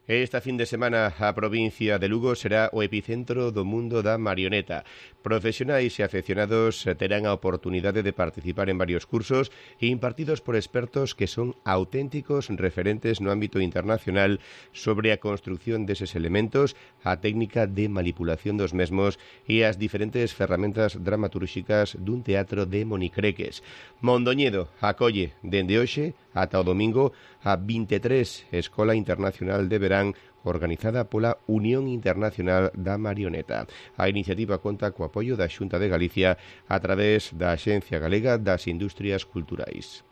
Esta fin de semana a provincia de Lugo será o epicentro do mundo da marioneta. Profesionais e afeccionados terán a oportunidade de participar en varios cursos impartidos por expertos que son auténticos referentes no ámbito internacional sobre a construción deses elementos, a técnica de manipulación dos mesmos e as diferentes ferramentas dramatúrxicas dun teatro de monicreques. Mondoñedo acolle dende hoxe ata o domingo a 23 Escola Internacional de Verán organizada pola Unión Internacional da Marioneta. A iniciativa conta co apoio da Xunta de Galicia a través da Axencia Galega das Industrias Culturais.